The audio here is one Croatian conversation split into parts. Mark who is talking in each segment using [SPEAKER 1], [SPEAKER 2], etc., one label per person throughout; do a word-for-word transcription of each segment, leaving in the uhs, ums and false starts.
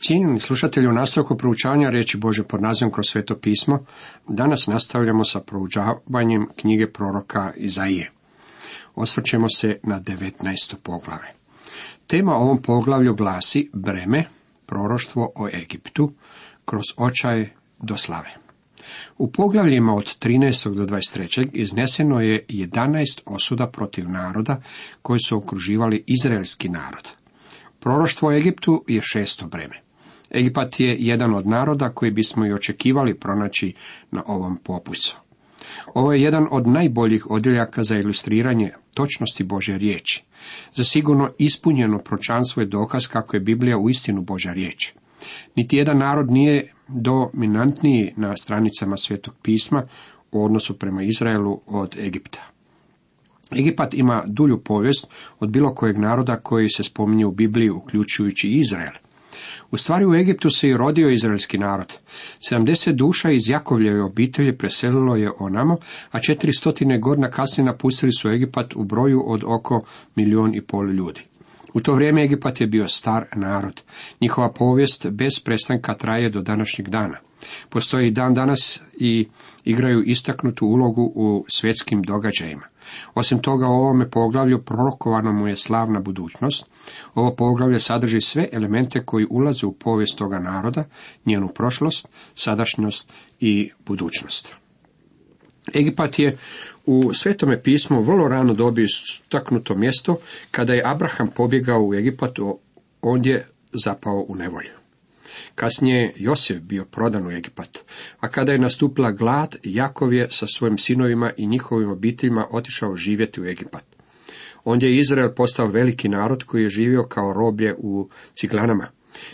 [SPEAKER 1] Cijenjeni slušatelji, u nastavku proučavanja riječi Božje pod nazivom Kroz sveto pismo, danas nastavljamo sa proučavanjem knjige proroka Izaije. Osvrćemo se na devetnaesto poglavlje. Tema ovom poglavlju glasi breme, proroštvo o Egiptu, kroz očaj do slave. U poglavljima od trinaestog do dvadeset trećeg izneseno je jedanaest osuda protiv naroda koji su okruživali izraelski narod. Proroštvo o Egiptu je šesto breme. Egipat je jedan od naroda koji bismo i očekivali pronaći na ovom popisu. Ovo je jedan od najboljih odjeljaka za ilustriranje točnosti Božje riječi. Za sigurno ispunjeno proročanstvo je dokaz kako je Biblija uistinu Božja riječ. Niti jedan narod nije dominantniji na stranicama Svetog pisma u odnosu prema Izraelu od Egipta. Egipat ima dulju povijest od bilo kojeg naroda koji se spominje u Bibliji, uključujući Izrael. U stvari u Egiptu se i rodio izraelski narod. sedamdeset duša iz Jakovljeve obitelji preselilo je onamo, a četiristo godina kasnije napustili su Egipat u broju od oko milijun i pol ljudi. U to vrijeme Egipat je bio star narod. Njihova povijest bez prestanka traje do današnjeg dana. Postoji i dan danas i igraju istaknutu ulogu u svjetskim događajima. Osim toga, u ovome poglavlju prorokovana mu je slavna budućnost. Ovo poglavlje sadrži sve elemente koji ulaze u povijest toga naroda, njenu prošlost, sadašnjost i budućnost. Egipat je u Svetome pismu vrlo rano dobio istaknuto mjesto. Kada je Abraham pobjegao u Egipat, on je zapao u nevolju. Kasnije je Josef bio prodan u Egipat, a kada je nastupila glad, Jakov je sa svojim sinovima i njihovim obiteljima otišao živjeti u Egipat. Ondje je Izrael postao veliki narod koji je živio kao roblje u ciglanama.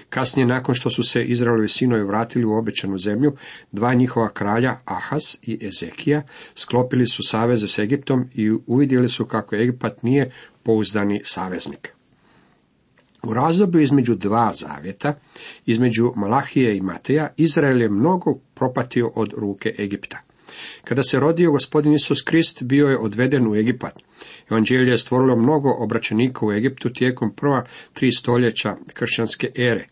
[SPEAKER 1] Kasnije, nakon što su se Izraelovi sinovi vratili u obećanu zemlju, dva njihova kralja, Ahaz i Ezekija, sklopili su saveze s Egiptom i uvidjeli su kako Egipat nije pouzdani saveznik. U razdoblju između dva zavjeta, između Malahije i Mateja, Izrael je mnogo propatio od ruke Egipta. Kada se rodio gospodin Isus Krist, bio je odveden u Egipat. Evanđelje je stvorilo mnogo obraćenika u Egiptu tijekom prva tri stoljeća kršćanske ere.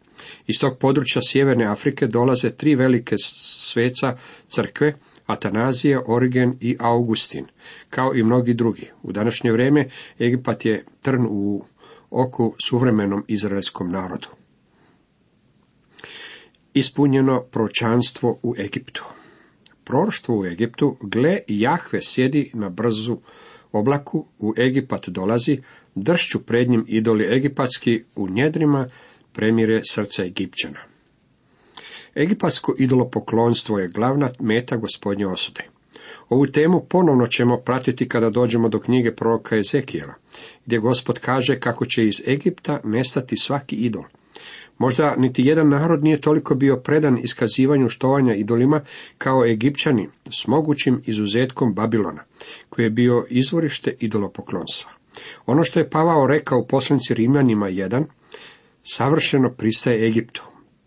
[SPEAKER 1] Iz tog područja sjeverne Afrike dolaze tri velike sveca crkve, Atanazije, Origen i Augustin, kao i mnogi drugi. U današnje vrijeme Egipat je trn u oku suvremenom izraelskom narodu. Ispunjeno proročanstvo u Egiptu. Proroštvo u Egiptu: gle, Jahve sjedi na brzu oblaku, u Egipat dolazi, dršću pred njim idoli egipatski, u njedrima premire srca Egipćana. Egipatsko idolopoklonstvo je glavna meta Gospodnje osude. Ovu temu ponovno ćemo pratiti kada dođemo do knjige proroka Ezekijela, gdje Gospod kaže kako će iz Egipta nestati svaki idol. Možda niti jedan narod nije toliko bio predan iskazivanju štovanja idolima kao Egipćani, s mogućim izuzetkom Babilona, koji je bio izvorište idolopoklonstva. Ono što je Pavao rekao u poslanici Rimljanima jedan, savršeno pristaje Egiptu.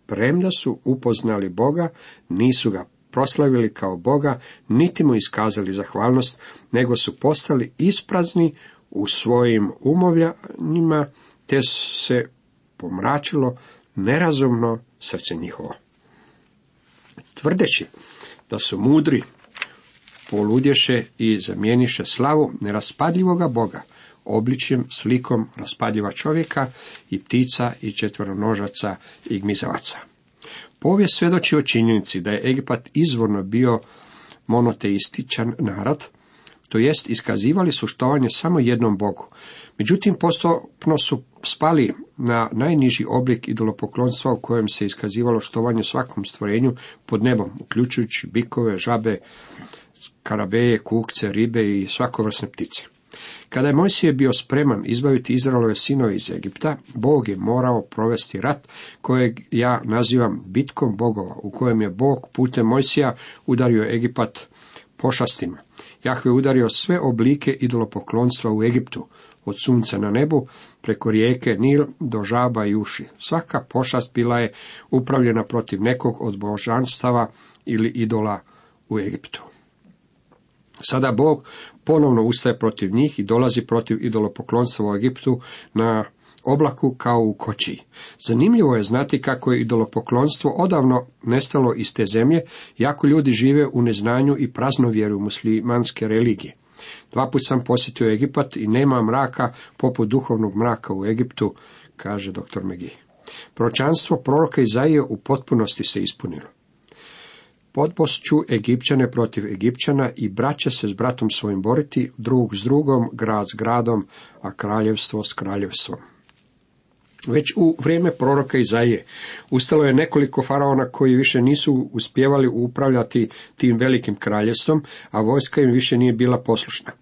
[SPEAKER 1] Premda su upoznali Boga, nisu ga proslavili kao Boga, niti mu iskazali zahvalnost, nego su postali isprazni u svojim umovljanjima, te se pomračilo nerazumno srce njihovo. Tvrdeći da su mudri, poludješe i zamijeniše slavu neraspadljivoga Boga obličjem, slikom raspadljiva čovjeka i ptica i četveronožaca i gmizavaca. Povijest svjedoči o činjenici da je Egipat izvorno bio monoteističan narod, to jest iskazivali su štovanje samo jednom Bogu. Međutim, postupno su spali na najniži oblik idolopoklonstva u kojem se iskazivalo štovanje svakom stvorenju pod nebom, uključujući bikove, žabe, skarabeje, kukce, ribe i svakovrsne ptice. Kada je Mojsije bio spreman izbaviti Izraelove sinove iz Egipta, Bog je morao provesti rat kojeg ja nazivam bitkom bogova, u kojem je Bog putem Mojsija udario Egipat pošastima. Jahve udario sve oblike idolopoklonstva u Egiptu, od sunca na nebu, preko rijeke Nil do žaba i uši. Svaka pošast bila je upravljena protiv nekog od božanstava ili idola u Egiptu. Sada Bog ponovno ustaje protiv njih i dolazi protiv idolopoklonstva u Egiptu na oblaku kao u kočiji. Zanimljivo je znati kako je idolopoklonstvo odavno nestalo iz te zemlje, jako ljudi žive u neznanju i praznovjeru muslimanske religije. Dva put sam posjetio Egipat i nema mraka poput duhovnog mraka u Egiptu, kaže doktor McGee. Proročanstvo proroka Izaije u potpunosti se ispunilo. Podbošću Egipćane protiv Egipćana i brat će se s bratom svojim boriti, drug s drugom, grad s gradom, a kraljevstvo s kraljevstvom. Već u vrijeme proroka Izaije ustalo je nekoliko faraona koji više nisu uspjevali upravljati tim velikim kraljevstvom, a vojska im više nije bila poslušna.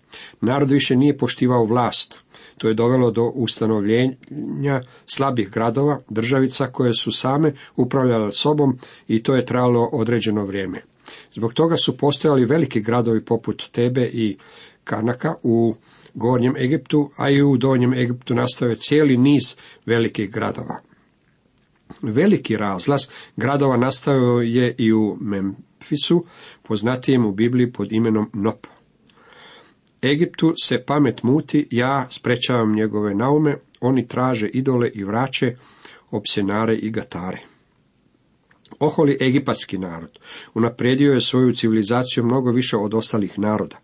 [SPEAKER 1] Narod više nije poštivao vlast. To je dovelo do ustanovljenja slabih gradova, državica koje su same upravljale sobom i to je trajalo određeno vrijeme. Zbog toga su postojali veliki gradovi poput Tebe i Karnaka u Gornjem Egiptu, a i u Donjem Egiptu nastao je cijeli niz velikih gradova. Veliki razlaz gradova nastao je i u Memfisu, poznatijem u Bibliji pod imenom Nop. Egiptu se pamet muti, ja sprečavam njegove naume, oni traže idole i vraće, opsjenare i gatare. Oholi egipatski narod, unaprijedio je svoju civilizaciju mnogo više od ostalih naroda.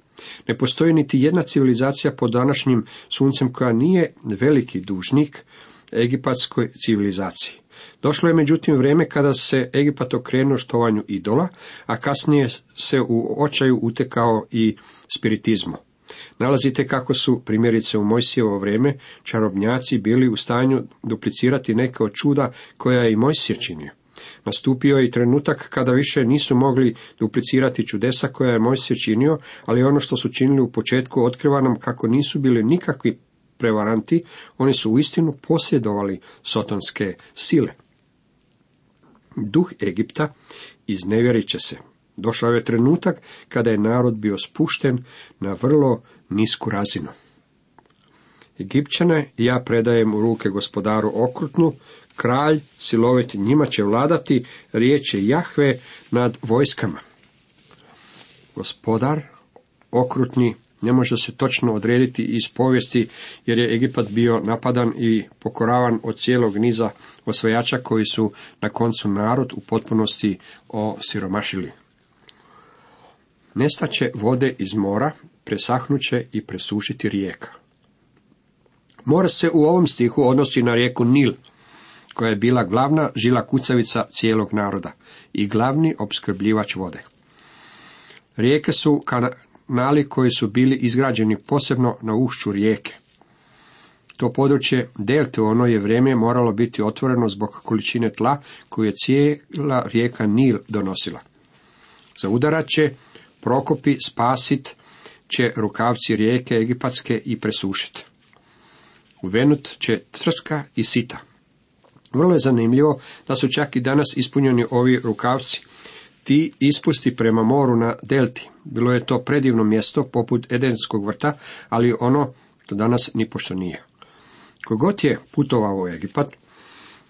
[SPEAKER 1] Ne postoji niti jedna civilizacija pod današnjim suncem koja nije veliki dužnik egipatskoj civilizaciji. Došlo je međutim vrijeme kada se Egipat okrenuo štovanju idola, a kasnije se u očaju utekao i spiritizmu. Nalazite kako su, primjerice u Mojsijevo vrijeme, čarobnjaci bili u stanju duplicirati neke od čuda koja je i Mojsije činio. Nastupio je i trenutak kada više nisu mogli duplicirati čudesa koja je Mojsije činio, ali ono što su činili u početku otkriva nam kako nisu bili nikakvi prevaranti, oni su uistinu posjedovali sotonske sile. Duh Egipta iznevjerit će se. Došao je trenutak kada je narod bio spušten na vrlo nisku razinu. Egipćane ja predajem u ruke gospodaru okrutnu, kralj silovit njima će vladati, riječ je Jahve nad vojskama. Gospodar okrutni ne može se točno odrediti iz povijesti, jer je Egipat bio napadan i pokoravan od cijelog niza osvajača koji su na koncu narod u potpunosti osiromašili. Nestaće vode iz mora, presahnuće i presušiti rijeka. More se u ovom stihu odnosi na rijeku Nil, koja je bila glavna žila kucavica cijelog naroda i glavni opskrbljivač vode. Rijeke su kanali koji su bili izgrađeni posebno na ušću rijeke. To područje delte u ono je vrijeme moralo biti otvoreno zbog količine tla koju je cijela rijeka Nil donosila. Za udarat će prokopi, spasit će rukavci rijeke egipatske i presušiti. Uvenut će trska i sita. Vrlo je zanimljivo da su čak i danas ispunjeni ovi rukavci. Ti ispusti prema moru na delti. Bilo je to predivno mjesto poput Edenskog vrta, ali ono to danas nipošto nije. Kogod je putovao u Egipat,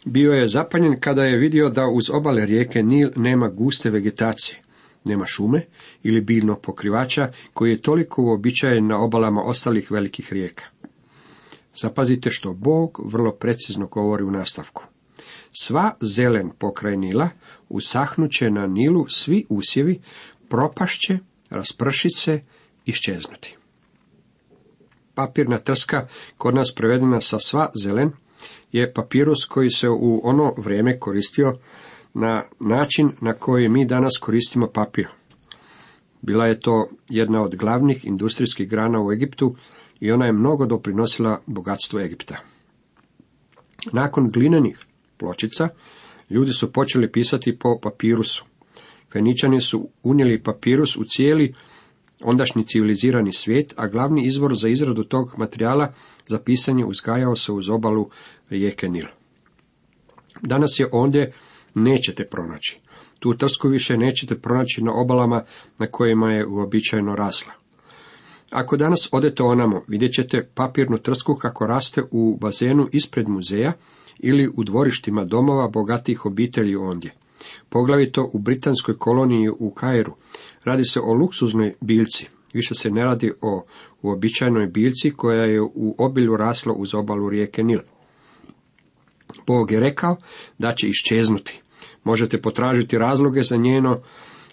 [SPEAKER 1] bio je zapanjen kada je vidio da uz obale rijeke Nil nema guste vegetacije, nema šume ili biljnog pokrivača koji je toliko uobičajen na obalama ostalih velikih rijeka. Zapazite što Bog vrlo precizno govori u nastavku. Sva zelen pokraj Nila usahnuće na Nilu svi usjevi, propašće, raspršit se, iščeznuti. Papirna trska, kod nas prevedena sa sva zelen, je papirus koji se u ono vrijeme koristio na način na koji mi danas koristimo papir. Bila je to jedna od glavnih industrijskih grana u Egiptu i ona je mnogo doprinosila bogatstvu Egipta. Nakon glinenih pločica, ljudi su počeli pisati po papirusu. Feničani su unijeli papirus u cijeli ondašnji civilizirani svijet, a glavni izvor za izradu tog materijala za pisanje uzgajao se uz obalu rijeke Nil. Danas je ondje nećete pronaći. Tu trsku više nećete pronaći na obalama na kojima je uobičajeno rasla. Ako danas odete onamo, vidjet ćete papirnu trsku kako raste u bazenu ispred muzeja ili u dvorištima domova bogatih obitelji ondje. Poglavito u britanskoj koloniji u Kairu. Radi se o luksuznoj biljci. Više se ne radi o uobičajenoj biljci koja je u obilju rasla uz obalu rijeke Nil. Bog je rekao da će iščeznuti. Možete potražiti razloge za njeno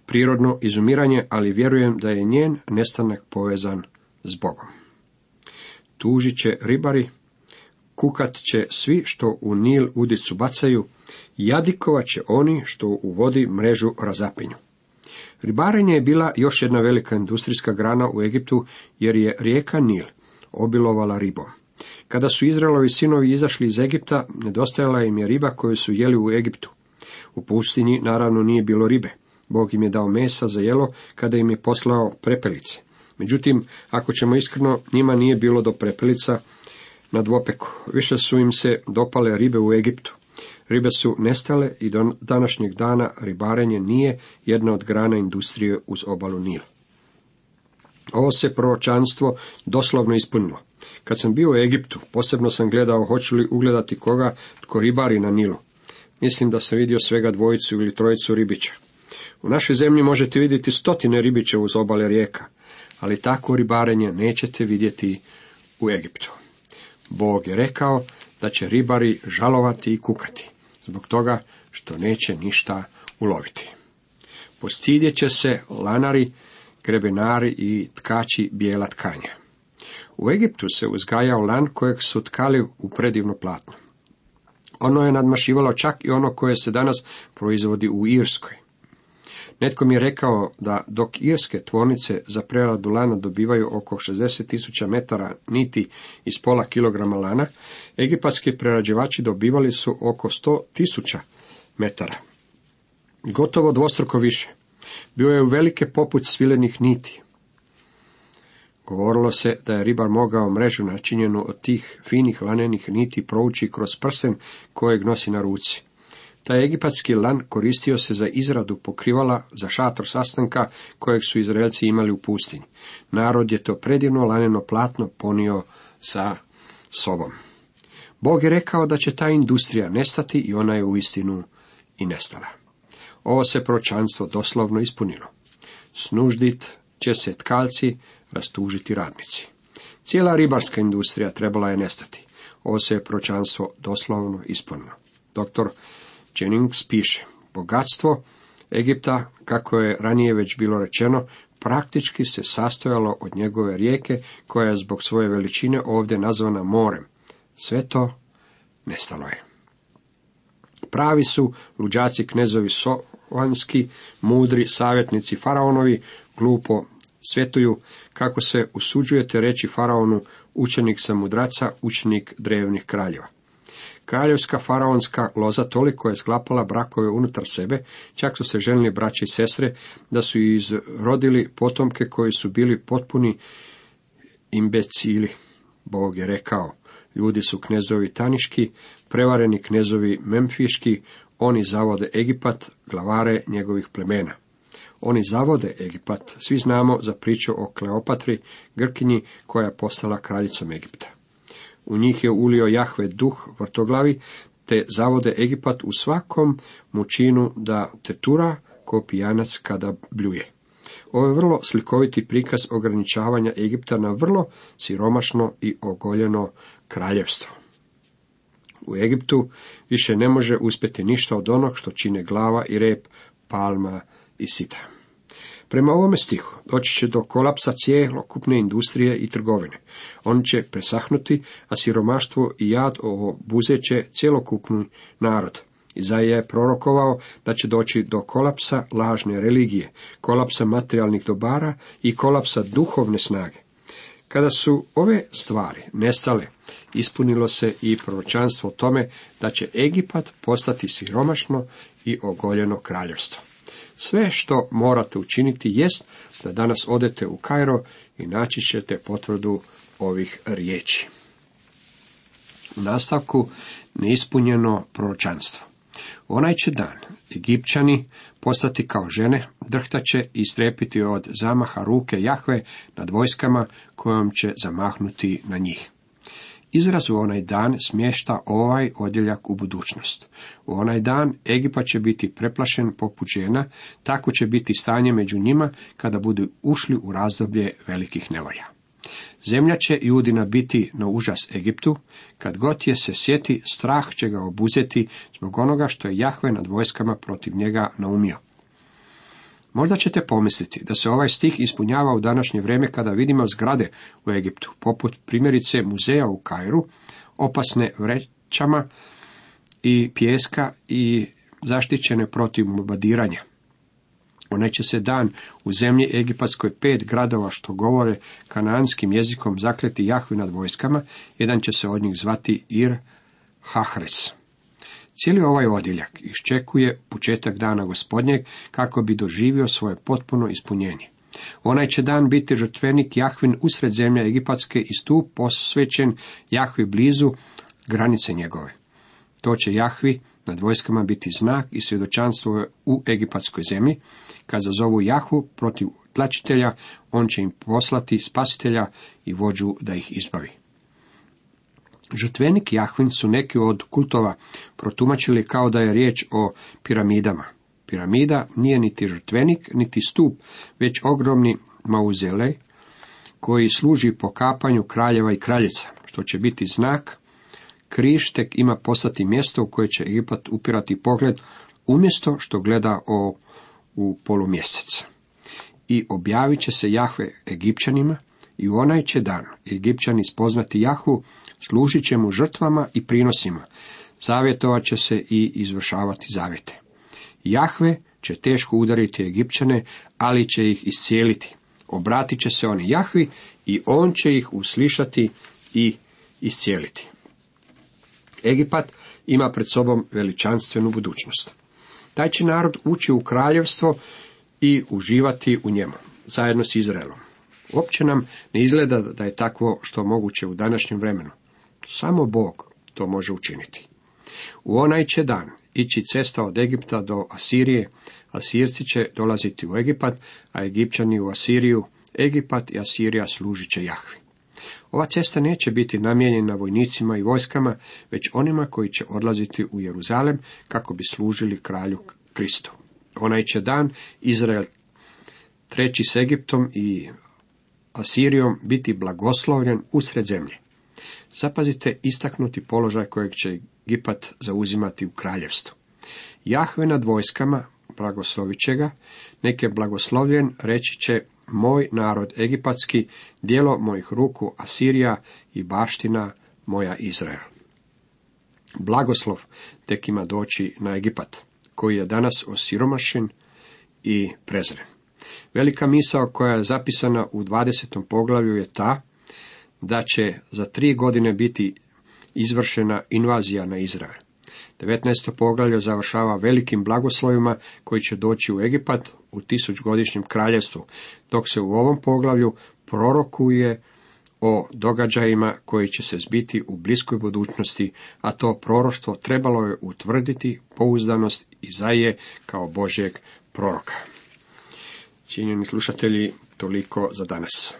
[SPEAKER 1] prirodno izumiranje, ali vjerujem da je njen nestanak povezan s Bogom. Tužit će ribari, kukat će svi što u Nil udicu bacaju, jadikovat će oni što u vodi mrežu razapinju. Ribarenje je bila još jedna velika industrijska grana u Egiptu, jer je rijeka Nil obilovala ribom. Kada su Izraelovi sinovi izašli iz Egipta, nedostajala im je riba koju su jeli u Egiptu. U pustinji naravno nije bilo ribe. Bog im je dao mesa za jelo kada im je poslao prepelice. Međutim, ako ćemo iskreno, njima nije bilo do prepelica na dvopeku. Više su im se dopale ribe u Egiptu. Ribe su nestale i do današnjeg dana ribarenje nije jedna od grana industrije uz obalu Nila. Ovo se proročanstvo doslovno ispunilo. Kad sam bio u Egiptu, posebno sam gledao hoću li ugledati koga tko ribari na Nilu. Mislim da sam vidio svega dvojicu ili trojicu ribića. U našoj zemlji možete vidjeti stotine ribića uz obale rijeka, ali takvo ribarenje nećete vidjeti u Egiptu. Bog je rekao da će ribari žalovati i kukati, zbog toga što neće ništa uloviti. Postidjet će se lanari, grebenari i tkači bijela tkanja. U Egiptu se uzgajao lan kojeg su tkali u predivno platno. Ono je nadmašivalo čak i ono koje se danas proizvodi u Irskoj. Netko mi je rekao da dok irske tvornice za preradu lana dobivaju oko šezdeset tisuća metara niti iz pola kilograma lana, egipatski prerađivači dobivali su oko sto tisuća metara. Gotovo dvostruko više. Bio je u velike poput svilenih niti. Govorilo se da je ribar mogao mrežu načinjenu od tih finih lanenih niti provući kroz prsen kojeg nosi na ruci. Taj egipatski lan koristio se za izradu pokrivala za šator sastanka kojeg su Izraelci imali u pustinji. Narod je to predivno laneno platno ponio sa sobom. Bog je rekao da će ta industrija nestati i ona je uistinu i nestala. Ovo se proročanstvo doslovno ispunilo. Snuždit će se tkalci, rastužiti radnici. Cijela ribarska industrija trebala je nestati. Ovo se je proročanstvo doslovno ispunilo. Doktor Jennings piše, bogatstvo Egipta, kako je ranije već bilo rečeno, praktički se sastojalo od njegove rijeke, koja je zbog svoje veličine ovdje nazvana morem. Sve to nestalo je. Pravi su luđaci knezovi sovanski, mudri savjetnici faraonovi, glupo svjetuju, kako se usuđujete reći faraonu, učenik sam mudraca, učenik drevnih kraljeva. Kraljevska faraonska loza toliko je sklapala brakove unutar sebe, čak su se ženili braće i sestre, da su izrodili potomke koji su bili potpuni imbecili. Bog je rekao, ljudi su knezovi taniški, prevareni knezovi memfiški, oni zavode Egipat, glavare njegovih plemena. Oni zavode Egipat, svi znamo za priču o Kleopatri, Grkinji, koja je postala kraljicom Egipta. U njih je ulio Jahve duh vrtoglavi, te zavode Egipat u svakom mučinu da tetura ko pijanac kada bljuje. Ovo je vrlo slikoviti prikaz ograničavanja Egipta na vrlo siromašno i ogoljeno kraljevstvo. U Egiptu više ne može uspjeti ništa od onog što čine glava i rep, palma i sita. Prema ovome stihu doći će do kolapsa cjelokupne industrije i trgovine. On će presahnuti, a siromaštvo i jad obuzeće cjelokupni narod. Izaija je prorokovao da će doći do kolapsa lažne religije, kolapsa materijalnih dobara i kolapsa duhovne snage. Kada su ove stvari nestale, ispunilo se i proročanstvo o tome da će Egipat postati siromašno i ogoljeno kraljevstvo. Sve što morate učiniti jest da danas odete u Kairo i naći ćete potvrdu ovih riječi. U nastavku neispunjeno proročanstvo. Onaj će dan Egipćani postati kao žene, drhtaće i strepiti od zamaha ruke Jahve nad vojskama kojom će zamahnuti na njih. Izraz u onaj dan smješta ovaj odjeljak u budućnost. U onaj dan Egipat će biti preplašen poput žena, tako će biti stanje među njima kada budu ušli u razdoblje velikih nevolja. Zemlja će Judina biti na užas Egiptu, kad god je se sjeti, strah će ga obuzeti zbog onoga što je Jahve nad vojskama protiv njega naumio. Možda ćete pomisliti da se ovaj stih ispunjava u današnje vrijeme kada vidimo zgrade u Egiptu, poput primjerice muzeja u Kairu, opasne vrećama i pijeska i zaštićene protiv bombardiranja. Onaj će se dan u zemlji Egipatskoj pet gradova što govore kanaanskim jezikom zakleti Jahvi nad vojskama, jedan će se od njih zvati Ir Hahres. Cijeli ovaj odjeljak iščekuje početak dana Gospodnjeg kako bi doživio svoje potpuno ispunjenje. Onaj će dan biti žrtvenik Jahvin usred zemlje Egipatske i stup posvećen Jahvi blizu granice njegove. To će Jahvi nad vojskama biti znak i svjedočanstvo u egipatskoj zemlji. Kad zazovu Jahvu protiv tlačitelja, on će im poslati spasitelja i vođu da ih izbavi. Žrtvenik Jahvin su neki od kultova protumačili kao da je riječ o piramidama. Piramida nije niti žrtvenik, niti stup, već ogromni mauzolej koji služi pokapanju kraljeva i kraljica, što će biti znak. Križ tek ima postati mjesto u koje će Egipat upirati pogled, umjesto što gleda o, u polumjesec. I objavit će se Jahve Egipćanima, i u onaj će dan Egipćani spoznati Jahvu, služit će mu žrtvama i prinosima, zavjetovat će se i izvršavati zavjete. Jahve će teško udariti Egipćane, ali će ih iscijeliti. Obratit će se oni Jahvi i on će ih uslišati i iscijeliti. Egipat ima pred sobom veličanstvenu budućnost. Taj će narod ući u kraljevstvo i uživati u njemu, zajedno s Izraelom. Uopće nam ne izgleda da je takvo što moguće u današnjem vremenu. Samo Bog to može učiniti. U onaj će dan ići cesta od Egipta do Asirije, Asirci će dolaziti u Egipat, a Egipćani u Asiriju. Egipat i Asirija služit će Jahvi. Ova cesta neće biti namijenjena vojnicima i vojskama, već onima koji će odlaziti u Jeruzalem kako bi služili kralju Kristu. Onaj će dan Izrael treći s Egiptom i Asirijom biti blagoslovljen usred zemlje. Zapazite istaknuti položaj kojeg će Egipat zauzimati u kraljevstvu. Jahve nad vojskama blagoslovit će ga, nek je blagoslovljen, reći će moj narod egipatski, djelo mojih ruku Asirija i baština moja Izrael. Blagoslov tek ima doći na Egipat, koji je danas osiromašen i prezren. Velika misao koja je zapisana u dvadesetom poglavlju je ta da će za tri godine biti izvršena invazija na Izrael. devetnaesto poglavlje završava velikim blagoslovima koji će doći u Egipat u tisućgodišnjem kraljevstvu, dok se u ovom poglavlju prorokuje o događajima koji će se zbiti u bliskoj budućnosti, a to proroštvo trebalo je utvrditi pouzdanost Izaije kao Božjeg proroka. Cijenjeni slušatelji, toliko za danas.